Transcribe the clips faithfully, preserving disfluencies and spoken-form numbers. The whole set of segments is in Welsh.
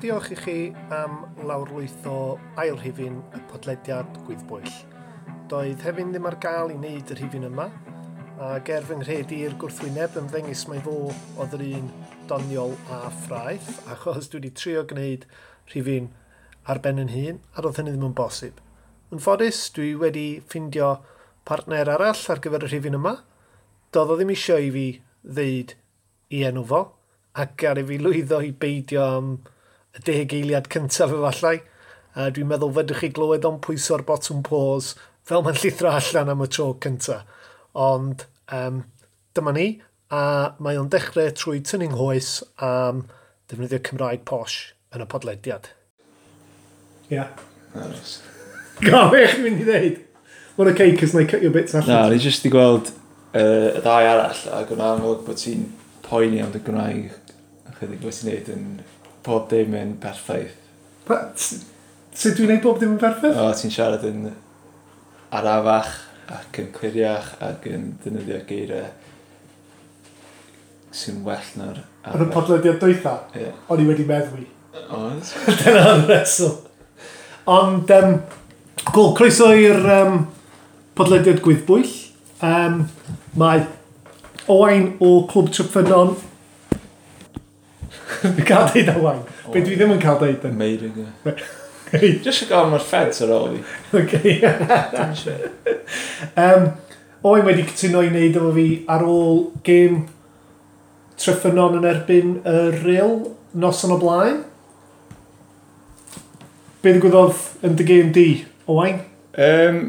Diolch i chi am lawrlwytho ail rhifyn y podlediad Gwyddbwyll. Doedd Hefin ddim ar gael i wneud y rhifyn yma, ac er fy nghredu i'r gwrthwyneb ymddengys mai fo oedd yr un doniol a ffraeth, achos dwi wedi trio gwneud rhifyn ar ben yn hun, a roedd hynny ddim yn bosib. Yn ffodus, dwi wedi ffindio partner arall ar gyfer y rhifyn yma. Doedd o ddim eisiau i fi ddeud i enw fo, ac ar i fi lwyddo i beidio am y deg eiliad cyntaf efallai. A dwi'n meddwl fedrwch chi glywed o'n pwyso'r botwm pause fel mae'n llithro allan am y tro cyntaf. Ond um, dyma ni, a mae o'n dechrau trwy tynnu nghoes am defnyddio Cymraeg posh yn y podlediad. Ia. Yeah. Nice. Go, be chi'n mynd i ddeud? Mae'n okay, cos na i cut your bits allan. Na, ni jyst i gweld uh, y ddau arall, ac o'n amlwg bod ti'n poeni am dy Gymraeg ychydig bod ti'n neud yn pob dim yn perffaith. Pa, sut dwi'n neud bob dim yn perffaith? O, ti'n siarad yn arafach ac yn cliriach ac yn defnyddio geiriau sy'n well na'r Ar y podlediad dwytha, Ie. o'n i wedi meddwi. Oedd? Dyna'r reswm. Ond, um, cool, croeso i'r um, podlediad Gwyddbwyll. Um, mae Owain o Clwb Treffynnon. Dwi'n cael deud Owain. Be dwi ddim yn cael deud yn. Meirig, ie. Jyst i gael mae'r feds ar ôl fi. Okay. Dim eisiau. um, Owain wedi cytuno i wneud efo fi ar ôl gêm Treffynnon yn erbyn y Rhyl noson o blaen. Be ddigwyddodd yn dy gêm di, Owain? Um,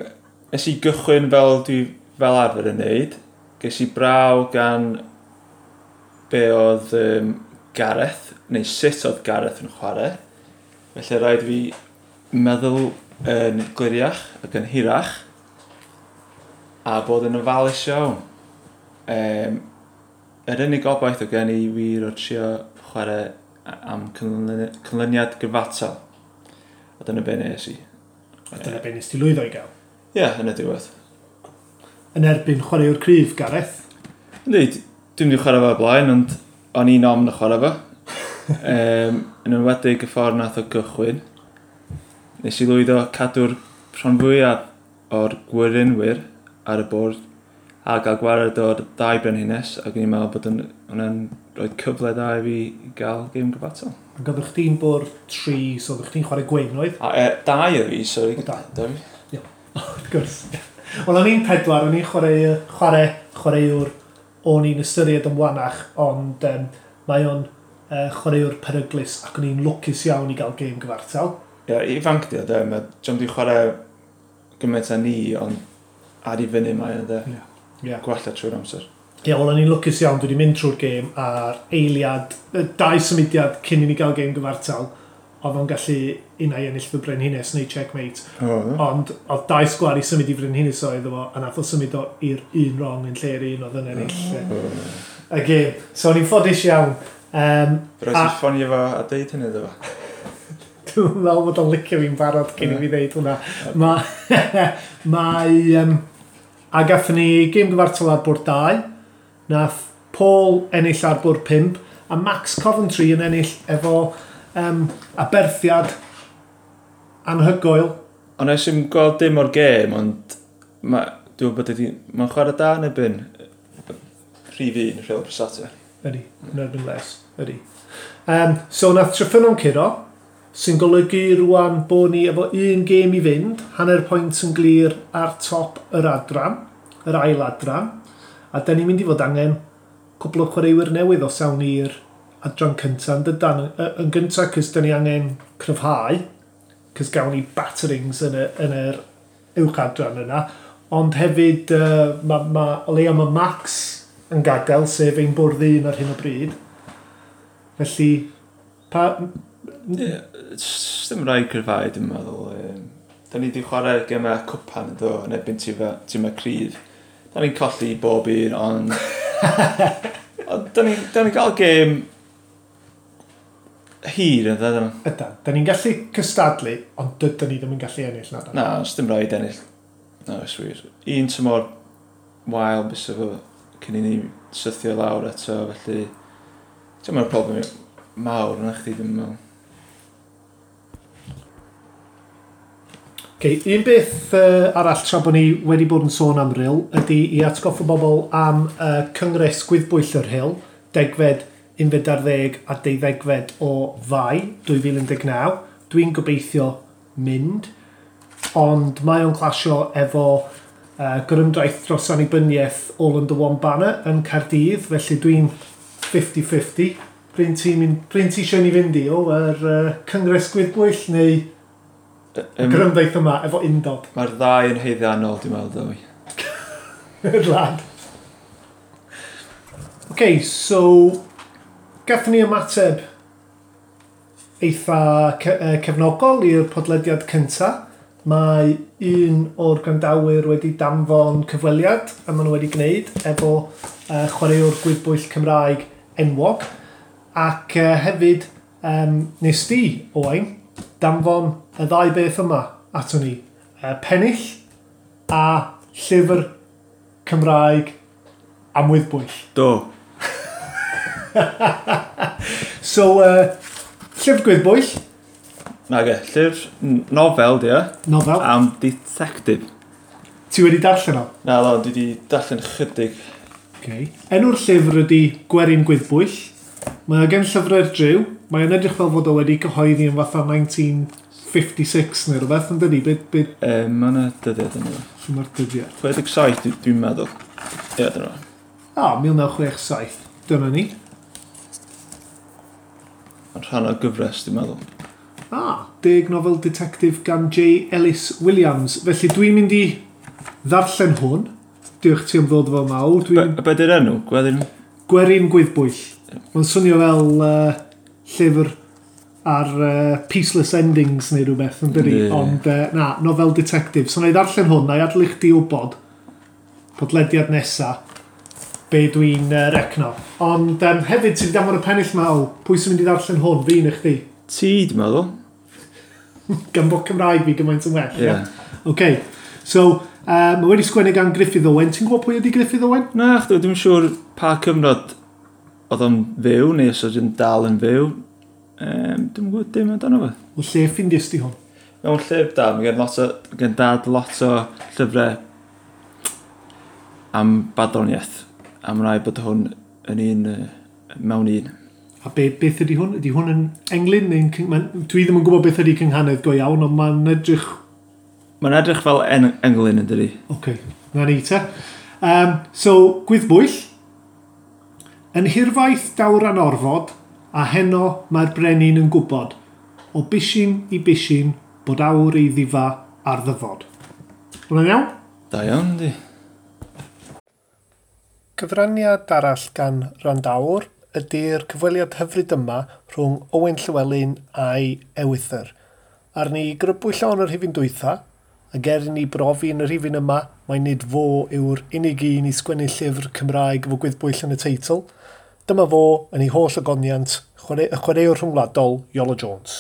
nes i gychwyn fel dwi fel arfer yn neud. Ges i braw gan be oedd um, Gareth, neu sut oedd Gareth yn chwarae. Felly rhaid fi meddwl yn gliriach ac yn hirach a bod yn ofalus iawn. Um, yr unig obaith o gen i wir o trio chwarae am cynlyni- cynlyniad gyfatal. A dyna be nes i. A dyna be nes ti lwyddo i gael. Ie, yeah, yn y diwedd. Yn erbyn chwaraewr cryf, Gareth. Yndi, dwi'n mynd i chwarae fo o blaen, ond o'n i'n ofn y chwarae fo. um, yn enwedig y ffordd nath o gychwyn. Nes i lwyddo cadw'r rhan fwyaf o'r gwerinwyr ar y bwrdd a gael gwared o'r ddau brenhines ac o'n i'n meddwl bod yn, hwnna'n rhoi cyfle dda i fi i gael gêm gyfatal. Ac oeddech chdi'n bwrdd tri, so oeddech chdi'n chwarae gwyn, oedd? A e, dau o fi, sori. O, dau. Dau fi. Wrth gwrs. Wel, o'n i'n pedwar, o'n i'n chwarae, chwarae, chwaraewr o'n i'n ystyried yn wanach, ond um, mae o'n uh, chwaraewr peryglus ac o'n i'n lwcus iawn i gael gêm gyfartal. Ie, ifanc di o, de. Mae John di chwarae gymaint â ni, ond ar i fyny mae o, de. Ie. Yeah. Gwella trwy'r amser. Ie, yeah, wel, o'n i'n lwcus iawn, dwi wedi mynd trwy'r gêm a'r eiliad, y dau symudiad cyn i ni gael gêm gyfartal, oedd o'n gallu unai ennill fy brenhines neu checkmate. O, Ond oedd dau sgwar i symud i frenhines oedd efo, a nath o symud o i'r un wrong yn lle'r un oedd yn ennill y, y gêm. So o'n i'n ffodus iawn. Um, Rhaid A- i ffonio fo a deud hynny iddo fo. Dwi'n meddwl bod o'n licio fi'n barod cyn i fi ddeud hwnna. Mae, mae, um, a gathon ni gêm gyfartal ar bwrdd dau. Nath Paul ennill ar bwrdd pump, a Max Coventry yn ennill efo um, aberthiad anhygoel. Ond nes i'm gweld dim o'r gêm, ond ma, dwi'n gwybod ydi, mae'n chwarae da yn erbyn rhif un, Rhyl Prasata. Ydy, yn erbyn Les, ydy. Um, so nath Treffynnon curo, sy'n golygu rwan bod ni efo un gêm i fynd, hanner pwynt yn glir ar top yr adran, yr ail adran, a da ni'n mynd i fod angen cwpl o chwaraewyr newydd os awn ni'r adran cyntaf, yn dydan, yn, yn gyntaf, cys da ni angen cryfhau, cys gawn ni batterings yn, y, yn yr uwch adran yna, ond hefyd uh, ma, ma, o leia mae Max yn gadael, sef ein bwrdd un ar hyn o bryd. Felly, pa... Ie, Dim rhaid cryfhau, dwi'n meddwl. Um, da ni wedi chwarae gemau cwpan yn do, yn erbyn tîmau cryf. Da ni'n colli bob un, ond... ond da ni'n da ni gael gêm hir yn dda. Ydan, da ni'n gallu cystadlu, ond dydyn ni ddim yn gallu ennill na. Na, os dim rhaid ennill. Na, oes wir. Un tymor wael bysa fo cyn i ni sythio lawr eto, felly... Ti'n meddwl problem mawr yna chdi, dwi'n meddwl. Okay, un beth uh, arall tra bod ni wedi bod yn sôn am Ryl ydy i atgoffa bobl am uh, Cyngres Gwyddbwyll yr Rhyl, degfed, unfed ar ddeg a deuddegfed o Fai dwy fil un deg naw. Dwi'n gobeithio mynd, ond mae o'n clasio efo uh, gorymdaith dros annibyniaeth All Under One Banner yn Caerdydd, felly dwi'n fifty fifty. Bryn ti'n mynd, bryn ti eisiau ni fynd i o, yr uh, Cyngres Gwyddbwyll neu Um, gorymdaith yma efo undod? Mae'r ddau yn haeddiannol, dwi'n meddwl, dwi. Good lad. OK, so gathon ni ymateb eitha ce uh, cefnogol i'r podlediad cynta. Mae un o'r gwrandawyr wedi danfon cyfweliad a maen nhw wedi gwneud efo uh, chwaraewr gwyddbwyll Cymraeg enwog. Ac uh, hefyd, um, nes di, Owain, danfon y ddau beth yma ato ni. Uh, pennill a llyfr Cymraeg am wyddbwyll. Do. So, uh, llyfr gwyddbwyll, Nage, llyfr n- nofel, di o, nofel. Am detective. Ti wedi darllen o? Na, do, dwi wedi darllen chydig. Okay. Enw'r llyfr ydy Gwerin Gwyddbwyll. Mae o gen Llyfrau'r Dryw. Mae o'n edrych fel fod o wedi cyhoeddi yn fatha mil naw chwe chwech neu rhywbeth, yn dydi? Be, be, E, mae yna dyddiad yn yma. Lle mae'r dyddiad? chwe deg saith, dwi- dwi'n meddwl. Ie, dyna fo. Ah, mil naw chwech saith. Dyna ni. Mae'n rhan o gyfres, dwi'n meddwl. Ah, deg nofel detective gan J. Ellis Williams. Felly dwi'n mynd i ddarllen hwn. Diolch ti am ddod efo mawr. Dwi'n Be, be di'r enw? Gwerin? Gwerin Gwyddbwyll. Mae'n swnio fel uh, llyfr ar uh, Peaceless Endings neu rhywbeth, yn dydi? Yndi. Ond uh, na, nofel detective. So na i ddarllen hwn, na i adael i chdi wybod podlediad nesa be dwi'n uh, recno. Ond um, hefyd, ti wedi danfon y pennill mawr. Pwy sy'n mynd i ddarllen hwn? Fi neu chdi? Ti, dwi'n meddwl. Gan bod Cymraeg fi gymaint yn well. Ie. Ie? OK. So, uh, mae wedi sgwennu gan Griffith Owen. Ti'n gwybod pwy ydi Griffith Owen? Na, chdi, dwi'n siŵr pa cyfnod oedd o'n fyw, neu os oedd o'n dal yn fyw. Um, dwi'n gwybod dim amdano fo. O lle ffindies di hwn? Mewn llyfr da, mae gen, lot o, gen dad lot o llyfrau am barddoniaeth. A mae'n rhaid bod hwn yn un, uh, mewn un. A be, beth ydy hwn? Ydy hwn yn englyn? Neu'n cyng- ma'n- Dwi ddim yn gwybod beth ydy cynghanedd go iawn, ond mae'n edrych. Mae'n edrych fel en englyn yn dydi. OK, na ni te. Um, so, gwyddbwyll. Yn hirfaith dawr anorfod, a heno mae'r brenin yn gwybod, o bishyn i bishyn, bod awr ei ddifa ar ddyfod. Hwna'n iawn? Da iawn, di. Cyfraniad arall gan wrandawr ydy'r cyfweliad hyfryd yma rhwng Owen Llywelyn a'i ewythr. Ar ni grybwyll o'n yr rhifyn dwytha, ac er i ni brofi yn y rhifyn yma, mai nid fo yw'r unig un i sgwennu llyfr Cymraeg efo gwyddbwyll yn y teitl. Dyma fo yn ei holl ogoniant, chwarae, y chwaraewr rhwngwladol Iolo Jones.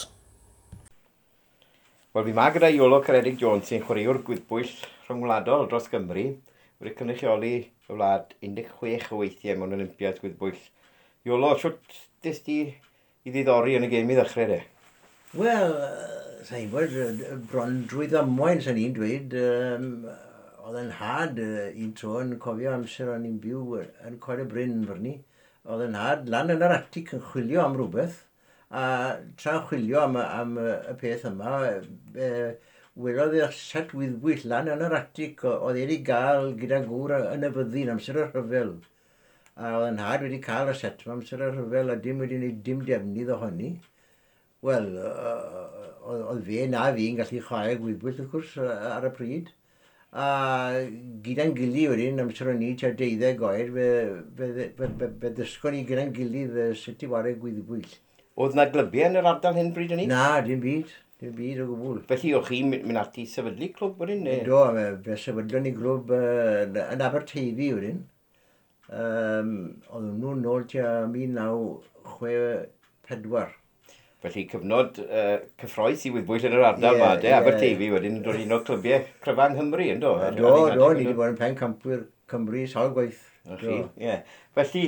Wel, fi ma gyda Iolo Ceredig Jones sy'n chwaraewr gwyddbwyll rhyngwladol dros Gymru. Wedi cynrychioli y wlad un deg chwech o weithiau mewn Olympiad gwyddbwyll. Iolo, siwt des di i ddiddori yn y gêm i ddechrau de? Wel, sa'n gwybod, bron drwy ddamwain, sa'n i'n dweud, um, oedd yn nhad un tro yn cofio amser o'n i'n byw yn Coed y Bryn fyrni. Oedd yn nhad lan yn yr atig yn chwilio am rhywbeth, a tra'n chwilio am, am y peth yma, e, welodd e'r set wyddbwyll lan yn yr atig oedd wedi gael gyda gŵr yn y fyddin amser y rhyfel. A oedd yn nhad wedi cael y set yma amser y rhyfel a dim wedi gwneud dim defnydd ohoni. Wel, oedd fe na fi'n gallu chwarae gwyddbwyll wrth gwrs ar y pryd. A gyda'n gilydd wedyn, amser o'n i tua deuddeg oed, fe, fe, fe, fe, fe ddysgon ni gyda'n gilydd sut i whare gwyddbwyll. Oedd na glybiau yn yr ardal hyn bryd hynny? Na, dim byd. Dim byd o gwbl. Felly o'ch chi'n mynd ati i sefydlu clwb wedyn? Neu? Do, fe, fe sefydlon ni glwb uh, yn Aberteifi wedyn. Um, oedd nhw'n nôl tua mil naw chwe pedwar. Felly cyfnod uh, cyffrous i wyddbwyll yn yr ardal yeah, ma, de? Yeah. Aberteifi wedyn yn dod un o'r clybiau cryfa yng Nghymru, yndo? Do, do, ni wedi bod yn pencampwyr Cymru sawl gwaith. Chi, ie. Felly,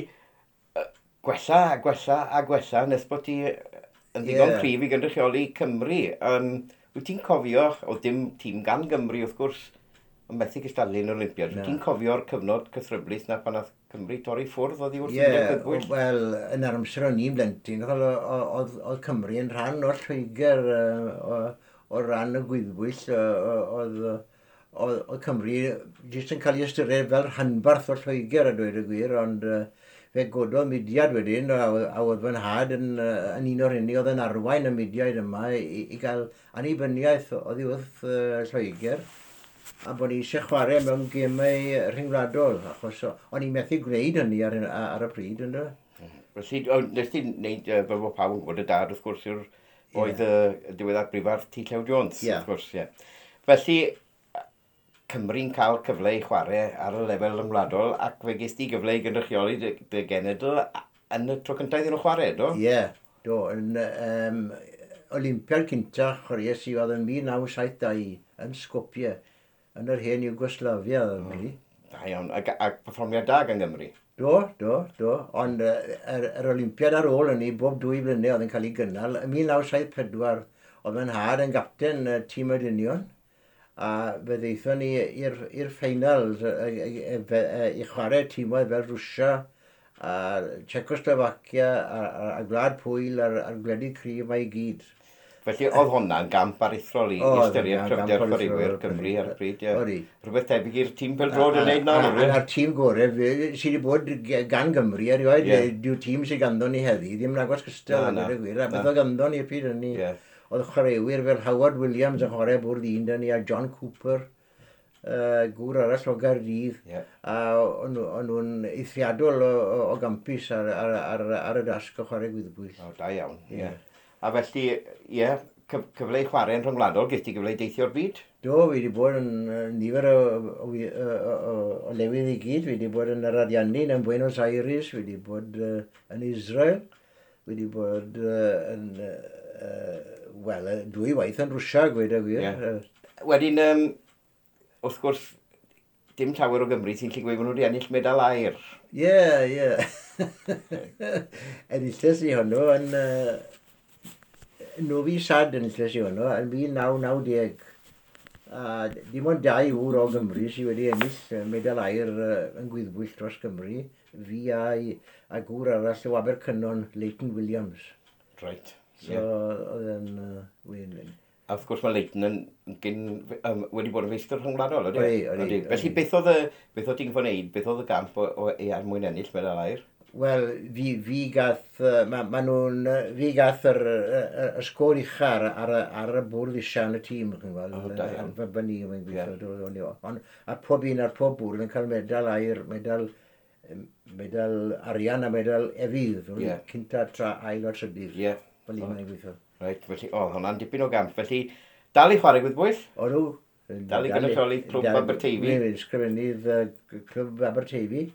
gwella a gwella a gwella nes bod ti yn ddigon yeah. cryf i gynrychioli Cymru. Um, Wyt ti'n cofio, oedd dim tîm gan Gymru wrth gwrs, yn methu cystadlu yn Olympiad. Wyt ti'n cofio'r cyfnod cythryblus na pan nath Cymru torri ffwrdd oddi wrth Ie, Undeb Gwyddbwyll? Wel, yn yr amser o'n i'n blentyn, oedd, oedd Cymru yn rhan o'r Lloegr o, o ran y gwyddbwyll, oedd, oedd, oedd Cymru jyst yn cael ei ystyried fel rhanbarth o'r Lloegr a dweud y gwir, ond fe gododd mudiad wedyn, a, a oedd fy nhad yn, yn un o'r hynny oedd yn arwain y mudiad yma i, i gael annibyniaeth oddi wrth uh, Lloegr, a bod ni eisiau chwarae mewn gemau rhyngwladol, achos o'n i'n methu gwneud hynny ar, ar y pryd, ynddo? Felly, nes ti'n neud, fel bod pawb yn gwybod, y dad, wrth gwrs, yw'r oedd y diweddar brifardd T. Llew Jones, yeah. Wrth gwrs, ie. Felly, Cymru'n cael cyfle i chwarae ar y lefel ryngwladol, ac fe ges di gyfle i gynrychioli dy, dy genedl yn y tro cyntaf iddyn nhw chwarae, do? Ie, yeah, do. Yn um, Olympiad cynta chwaraeais i oedd yn mil naw saith dau yn Skopje, yn yr hen Yugoslavia, oedd mm. Da iawn, ac, ac perfformiad da gan Gymru? Do, do, do. Ond yr, yr Olympiad ar ôl hynny, bob dwy blynedd oedd yn cael ei gynnal. Yn mil naw saith pedwar, oedd fy nhad yn gapten y tîm y dynion, a fe ddeithon ni i'r ffeinal i chwarae tîmoedd fel Rwsia, a Czechoslovacia, a, a, a Gwlad Pwyl, a'r, a'r gwledydd cryf mae i gyd. Felly oedd hwnna'n gamp aruthrol i ystyried cryfder chwaraewyr Cymru ar y pryd. Odi. Rhywbeth tebyg i'r tîm pêl-droed yn neud nawr. A'r tîm gorau sydd wedi bod gan Gymru erioed, yeah. Dyw'r tîm sydd ganddo ni heddi, ddim yn agos cystal, a gwir, a beth oedd ganddo ni y pryd hynny. Yeah. Oedd chwaraewyr fel Howard Williams yn chwarae bwrdd un dyn ni, a John Cooper, uh, gŵr arall o Gaerdydd, yeah. A o'n nhw'n eithriadol o, o, o gampus ar, ar, ar, ar y dasg o chwarae gwyddbwyll. O, da iawn, ie. Yeah. A felly, ie, yeah, cyfle i chwarae yn rhyngwladol, ges ti gyfle i deithio'r byd? Do, fi wedi bod yn nifer o, o, o, o, o lefydd i gyd. Fi wedi bod yn yr Ariannin, yn Buenos Aires, fi wedi bod uh, yn Israel, fi wedi bod uh, yn, uh, wel, dwy waith yn Rwsia, gweud y gwir. Yeah. Wedyn, um, wrth gwrs, dim llawer o Gymru sy'n gallu gweud bod nhw wedi ennill medal aur. Ie, ie. Enilles i hwnnw yn... Uh, Novi Sad enilles i hwnnw yn mil naw naw deg. A dim ond dau ŵr o Gymru sydd wedi ennill medal aur yn gwyddbwyll dros Gymru, fi a, a gŵr arall o Abercynon, Leighton Williams. Right. So, yeah. Oedd yn... Uh, A wrth gwrs mae Leighton yn, gyn, um, wedi bod yn feistr rhyngwladol, ydy? Odi, odi. Felly beth oedd y, beth oedd ti'n gwybod wneud, beth oedd y gamp o, o, er mwyn ennill medal aur? Wel, fi, fi gath, ma, ma nhw'n, fi gath yr, y, y sgôr ucha ar, ar, ar y bwrdd isa yn y tîm, chi'n gweld. Oh, da iawn. Fy ni, mae'n gweithio. Yeah. Ond a pob un ar pob bwrdd yn cael medal aur, medal, medal arian a medal efydd. Yeah. Cynta, tra, ail a trydydd. Yeah. Fel un mae'n gweithio. Reit, felly, o, oh, hwnna'n dipyn o gamp. Felly, dal i chwarae gwyddbwyll? Odw. Dal i gynrychioli Clwb Aberteifi? Ysgrifennydd Clwb Aberteifi.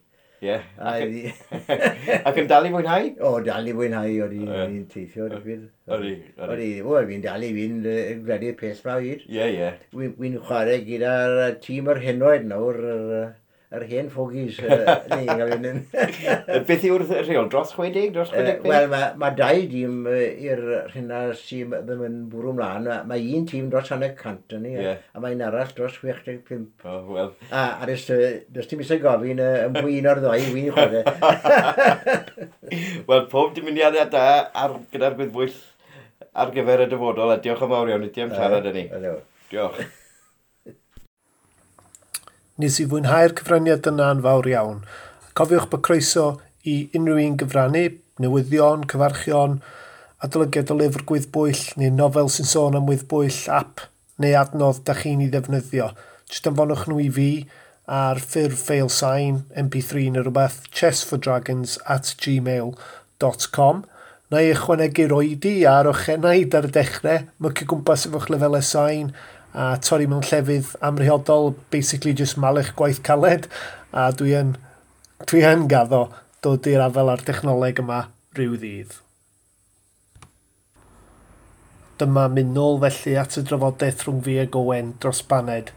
Ie. Ac yn dal i fwynhau? O, dal i fwynhau, o'n i'n teithio. Odi, odi. O, fi'n dal i fynd gwledydd pell ma o hyd. Ie, ie. Wi'n chwarae gyda'r tîm yr henoed nawr, yr hen ffogis. Beth yw'r rheol? Dros chwe deg? Dros chwe deg pump? Wel, mae ma dau dîm i'r rhywna sydd ddim yn bwrw mlaen. Mae un tîm dros hanner cant yn ni, yeah. A mae un arall dros chwech deg pump. Oh, well. A, a does, does dim eisiau gofyn yn pwy un o'r ddau, wy'n chwarae. Wel, pob dymuniadau da ar, gyda'r gwyddbwyll ar gyfer y dyfodol, a diolch yn fawr iawn i ti am siarad â ni. Diolch. Nes i fwynhau'r cyfraniad yna yn fawr iawn. Cofiwch bod croeso i unrhyw un gyfrannu, newyddion, cyfarchion, adolygiad o lyfr gwyddbwyll neu nofel sy'n sôn am wyddbwyll, app neu adnodd da chi'n ei ddefnyddio. Jyst anfonwch nhw i fi ar ffurf ffeil sain, M P three neu rhywbeth, chessfordragons at gmail dot com. Na i ychwanegu'r oedi a'r ochenaid ar y dechrau, mycio gwmpas efo'ch lefelau sain, a torri mewn llefydd amhriodol, basically just malu'ch gwaith caled, a dwi yn, dwi yn gaddo dod i'r afael â'r technoleg yma rhyw ddydd. Dyma mynd nôl felly at y drafodaeth rhwng fi ag Owen dros baned.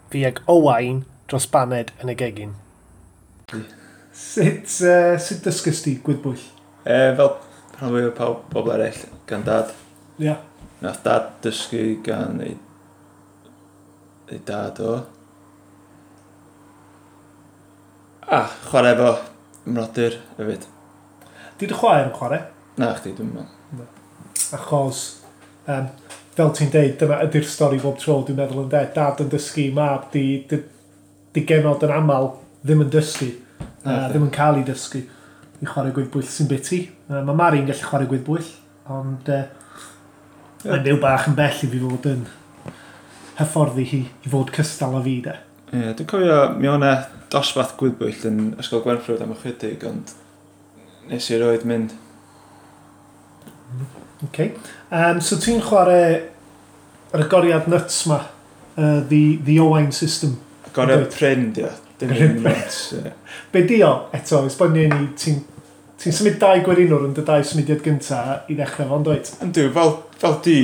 Fi ag Owain dros baned yn y gegin. Sut, uh, sut dysgys ti gwyddbwyll? E, fel rhan fwyaf o pawb, pobl eraill, gan dad. Ie. Yeah. Nath dad dysgu gan ei, ei dad o. A chwarae efo mrodyr hefyd. Di dy chwaer yn chwarae? Na chdi, dwi'n meddwl. Achos, um, fel ti'n deud, dyma ydy'r stori bob tro, dwi'n meddwl yn de. Dad yn dysgu, mab, di, di, di genod yn aml ddim yn dysgu. Na Uh, chdi. Ddim yn cael ei dysgu i chwarae gwyddbwyll sy'n biti. Uh, mae Mari'n gallu chwarae gwyddbwyll, ond uh, Ie. mae'n byw bach yn bell i fi fod yn hyfforddi hi i fod cystal â fi de. Ie, dwi'n cofio mi o'n e dosbarth gwyddbwyll yn Ysgol Gwenffrwd am ychydig, ond nes i erioed mynd. Okay. Um, so ti'n chwarae yr agoriad nuts ma, uh, the, the Owain system. Agoriad Yndwyt. prin, di o. Dim Prin. un nuts. Ie. Be di o, eto, esbonio i ni, ti'n ti symud dau gwerinwr yn dy dau symudiad gynta i ddechrau fo'n dweud? Yndw, fel, fel di,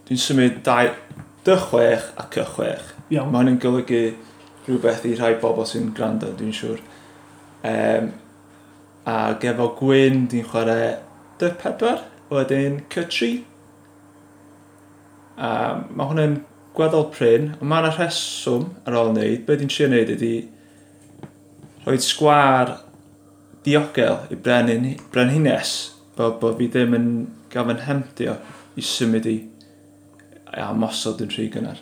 dwi'n symud dau, dy chwech a cy chwech. Iawn. Mae hynny'n golygu rhywbeth i rhai bobl sy'n gwrando, dwi'n siŵr. Um, ac efo gwyn, dwi'n chwarae dy pedwar, wedyn cy tri. A mae hwnna'n gweddol prin, ond mae yna rheswm ar ôl wneud. Be dwi'n trio wneud ydy rhoi sgwar diogel i brenin, brenhines, fel bod fi ddim yn gael fy nhemtio i symud i a mosod yn rhy gynnar.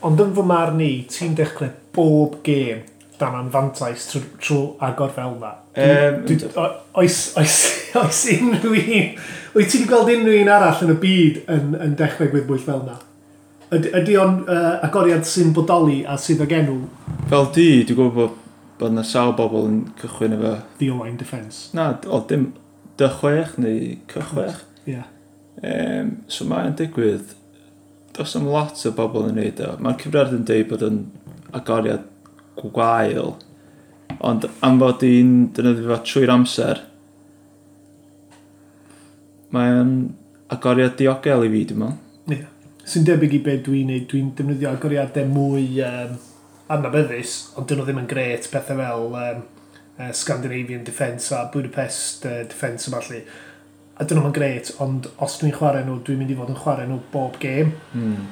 Ond yn fy marn i, ti'n dechrau bob gêm dan anfantais trwy, trwy agor fel na. Yym, Dwi, dwi, o- oes, oes, oes unrhyw un... Wyt ti wedi gweld unrhyw un arall yn y byd yn, yn dechrau gwyddbwyll fel na? Ydy, ydy o'n uh, agoriad sy'n bodoli a sydd ag enw Fel di, dwi'n gwybod bod, bod yna sawl bobl yn cychwyn efo... The Owain Defence? Na, o, dim dy chwech neu cy chwech. Ie. Yeah. Um, so mae'n digwydd, does am lot o bobl yn neud o. Mae'r cyfrifiadur yn deud bod yn agoriad gwael, ond am fod i'n defnyddio fo trwy'r amser, mae'n agoriad diogel i fi, dwi'n meddwl. Ie. Sy'n debyg i be dwi'n neud, dwi'n defnyddio agoriadau mwy um, adnabyddus, ond dyn nhw ddim yn gret, pethau fel um, uh, Scandinavian Defence a Budapest uh, Defence a ballu. A dyn nhw'n gret, ond os dwi'n chwarae nhw, dwi'n mynd i fod yn chwarae nhw bob gêm. Mm.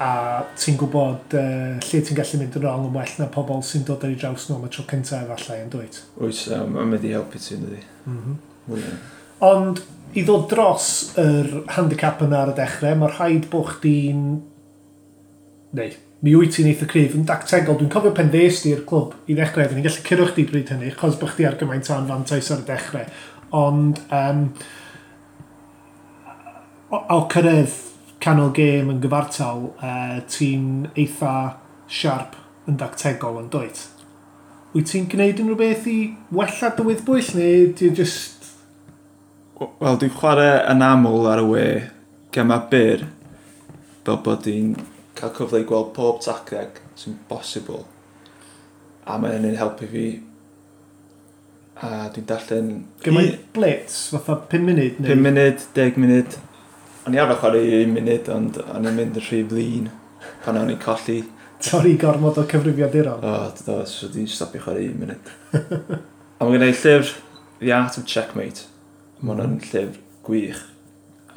A ti'n gwybod uh, lle ti'n gallu mynd yn wrong yn well na pobl sy'n dod ar ei draws nhw am y tro cyntaf efallai yn dwyt. Oes, um, mae'n mynd i helpu ti, ydy. Mm -hmm. Mwy. Ond i ddod dros yr handicap yna ar y dechrau, mae rhaid bod chdi'n... Neu, mi wyt ti'n eitha cryf yn dactegol. Dwi'n cofio pen ddes di i'r clwb i ddechrau, oedden ni'n gallu curo chdi bryd hynny, chos bod chdi ar gymaint o anfantais ar y dechrau. Ond um, o, o cyrraedd canol gêm yn gyfartal, uh, ti'n eitha siarp yn dactegol yn dwyt. Wyt ti'n gwneud unrhyw beth i wella dy wyddbwyll, neu ti'n just... Wel, dwi'n chwarae yn aml ar y we gema byr, fel bod dwi'n cael cyfle i gweld pob tacteg sy'n bosibl. A mae hynny'n helpu fi. A dwi'n darllen... Gymaint blitz, fatha pum munud? Neu... pum munud, deg munud. O'n i arfer chwarae un munud, ond o'n i'n mynd yn rhy flin pan o'n i'n colli. Torri gormod o cyfrifiaduron. O, do, so dwi'n stopio chwarae un munud. A mae gen i llyfr The Art of Checkmate. Mae hwnna'n llyfr gwych.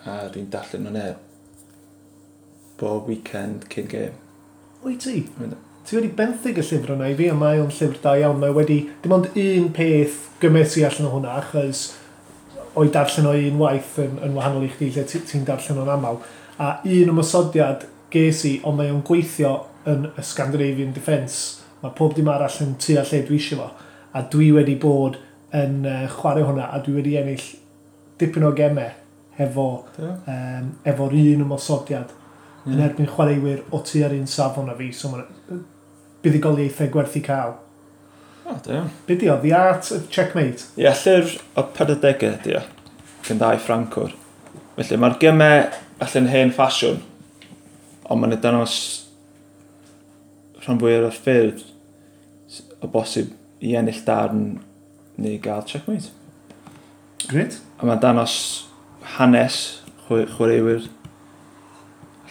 A dwi'n darllen hwnna bob weekend cyn gêm. Wyt ti? Yndw. Ti wedi benthyg y llyfr yna i fi, a mae o'n llyfr da iawn. Mae wedi, dim ond un peth gymes i allan o hwnna, achos o'i darllen o un waith yn, yn wahanol i chdi, lle ti- ti'n darllen o'n aml. A un ymosodiad ges i, ond mae o'n gweithio yn y Scandinavian Defence. Mae pob dim arall yn tu a lle dwi eisiau fo. A dwi wedi bod yn uh, chwarae hwnna, a dwi wedi ennill dipyn o gemau hefo, Do? um, efo'r un ymosodiad Ie. yn erbyn chwaraewyr o tu ar un safon a fi, so mae'n buddugoliaethau gwerth i cael. O, da iawn. Be di o? The Art of Checkmate. Ie, llyfr o pedwardegau ydi o, gan ddau Ffrancwr. Felly mae'r gemau allan hen ffasiwn, ond mae'n dangos rhan fwyaf o'r ffyrdd s- o bosib i ennill darn neu gael checkmate. Gret. A mae'n dangos hanes chwe- chwaraewyr,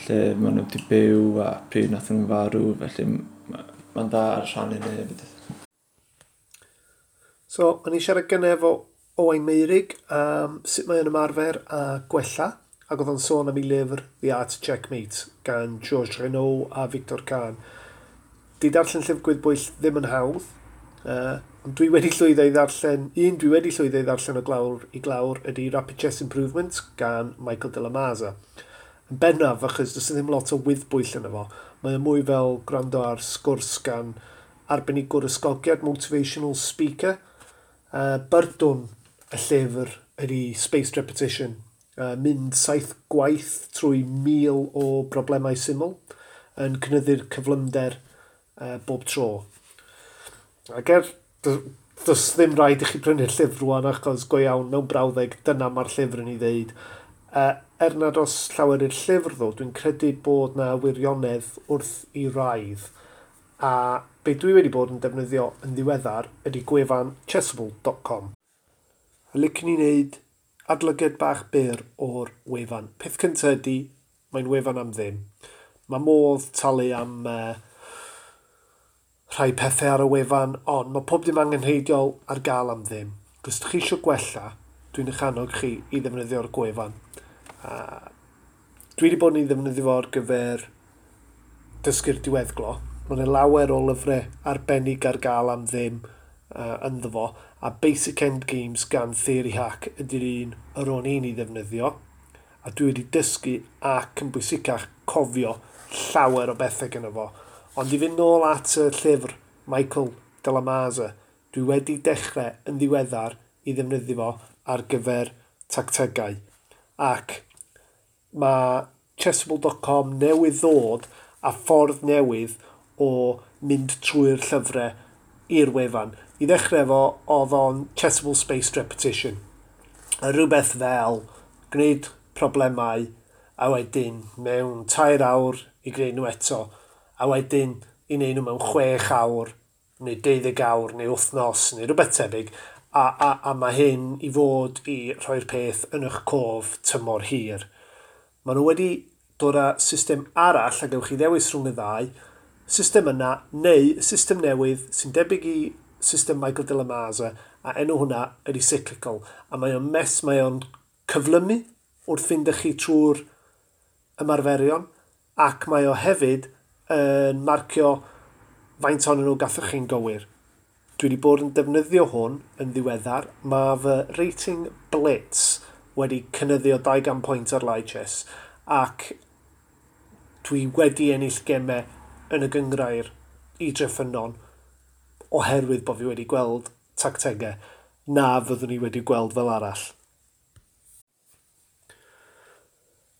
lle maen nhw wedi byw a pryd nath nhw'n farw, felly ma- mae'n dda ar rhannu hynny hefyd. So, o'n i siarad gynne efo Owain Meirig am sut mae o'n ymarfer a gwella. ac oedd o'n sôn am ei lyfr The Art of Checkmate gan Georges Renaud a Victor Kahn. Di darllen llyfr gwyddbwyll ddim yn hawdd, uh, ond dwi wedi llwyddo i ddarllen, un dwi wedi llwyddo i ddarllen o glawr i glawr ydy Rapid Chess Improvement gan Michael de la Maza. Yn bennaf, achos does ddim lot o wyddbwyll yno fo, mae o mwy fel gwrando ar sgwrs gan arbenigwr ysgogiad, motivational speaker. Uh, byrdwn y llyfr ydy Spaced Repetition, uh, mynd saith gwaith trwy mil o broblemau syml yn cynyddu'r cyflymder uh, bob tro. Ac er, does ddim rhaid i chi prynu'r llyfr rwan achos go iawn mewn brawddeg dyna mae'r llyfr yn ei ddeud. Uh, er nad oes llawer i'r llyfr ddo, dwi'n credu bod na wirionedd wrth i raidd. A be dwi wedi bod yn defnyddio yn ddiweddar ydy gwefan chessable dot com. A licen i wneud adolygiad bach byr o'r wefan. Peth cyntaf ydy, mae'n wefan am ddim. Mae modd talu am uh, rhai pethau ar y wefan, ond mae pob dim angenrheidiol ar gael am ddim. Os ydych chi eisiau gwella, dwi'n eich annog chi i ddefnyddio'r gwefan. Uh, dwi wedi bod yn ei ddefnyddio fo ar gyfer dysgu'r diweddglo. Mae yna lawer o lyfrau arbennig ar gael am ddim uh, ynddo fo, a Basic Endgames gan Theory Hack ydy'r un yr o'n i'n ei ddefnyddio, a dwi wedi dysgu ac yn bwysicach cofio llawer o bethau gyda fo. Ond i fynd nôl at y llyfr Michael de la Maza, dwi wedi dechrau yn ddiweddar i ddefnyddio fo ar gyfer tactegau. Ac mae chessable dot com newydd ddod a ffordd newydd o mynd trwy'r llyfrau i'r wefan. I ddechrau fo, oedd o'n Chessable Spaced Repetition. A rhywbeth fel gwneud problemau a wedyn mewn tair awr i gwneud nhw eto, a wedyn i wneud nhw mewn chwech awr, neu deuddeg awr, neu wythnos, neu rhywbeth tebyg, a, a, a mae hyn i fod i rhoi'r peth yn eich cof tymor hir. Maen nhw wedi dod â system arall, a gewch chi ddewis rhwng y ddau, system yna, neu system newydd sy'n debyg i system Michael de la Maza, a enw hwnna ydy cyclical. A mae o'n mes, mae o'n cyflymu wrth fynd â chi trwy'r ymarferion, ac mae o hefyd yn marcio faint ohonyn nhw gathoch chi'n gywir. Dwi wedi bod yn defnyddio hwn yn ddiweddar. Mae fy rating Blitz wedi cynyddu o dau gan pwynt ar Lichess, ac dwi wedi ennill gemau yn y gynghrair i Dreffynnon oherwydd bod fi wedi gweld tactegau na fyddwn ni wedi gweld fel arall.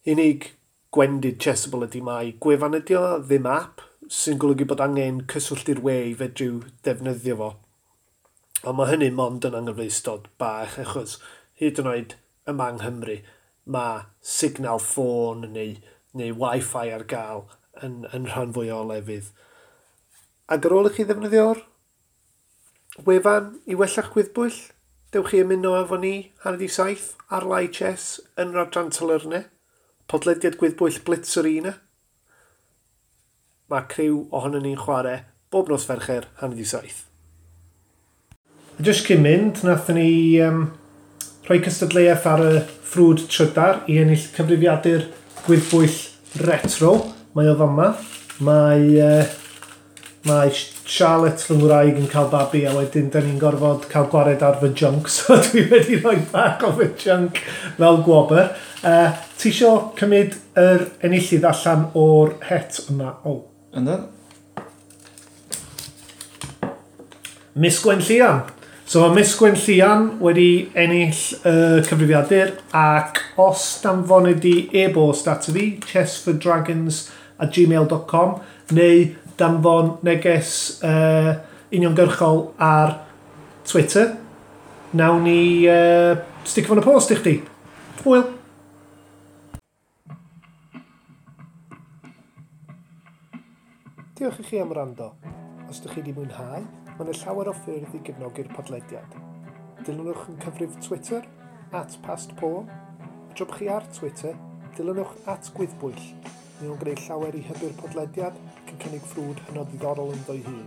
Unig gwendid Chessable ydy mai gwefan ydi o, ddim app, sy'n golygu bod angen cyswllt i'r we i fedru defnyddio fo. Ond mae hynny mond yn anghyfleustod bach, achos hyd yn oed yma yng Nghymru mae signal ffôn neu, neu Wi-Fi ar gael yn, yn rhan fwy o lefydd. Ac ar ôl i chi ddefnyddio'r wefan i wella'ch gwyddbwyll, dewch chi ymuno efo ni hanner i saith ar Lichess yn yr adran Talyrnau, podlediad gwyddbwyll Blitz Arena. Mae criw ohonon ni'n chwarae bob nos Fercher hanner i saith. A jyst cyn mynd, nathon ni um, rhoi cystadleuaeth ar y ffrwd trydar i ennill cyfrifiadur gwyddbwyll retro. Mae o fama. Mae, uh, mae Charlotte fy ngwraig yn cael babi a wedyn da ni'n gorfod cael gwared ar fy junk, so dwi wedi rhoi bach o fy junk fel gwobr. Uh, ti isio cymryd yr enillydd allan o'r het yma? O. Ynddo? Miss Gwen Llian. So mae Miss Gwen Llian wedi ennill y uh, cyfrifiadur, ac os danfonid di e-bost at fi, chessfordragons at gmail dot com, neu danfon neges uh, uniongyrchol ar Twitter, nawn ni uh, sticio fo'n y post i chdi. Hwyl! Diolch i chi am wrando. Os ydych chi wedi mwynhau, mae yna llawer o ffyrdd i gefnogi'r podlediad. Dilynwch yn cyfrif Twitter, at pastpawn. A tra bod chi ar Twitter, dilynwch at gwyddbwyll. Mae nhw'n gwneud llawer i hybu'r podlediad ac yn cynnig ffrwd hynod ddiddorol ynddo'i hun.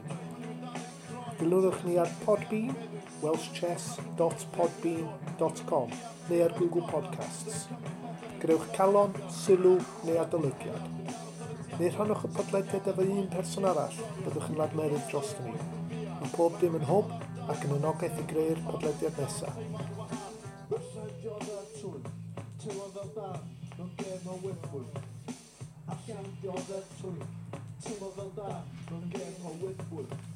Dilynwch ni ar Podbean, welsh chess dot podbean dot com, neu ar Google Podcasts. Grewch calon, sylw neu adolygiad. Neu rhannwch y podlediad efo un person arall, byddwch yn ladmerydd dros ni. Mae pob dim yn hwb ac yn anogaeth i greu'r podlediad nesaf. Allan dioddef trwy, teimlo fel da, mewn gêm o wythbwyll.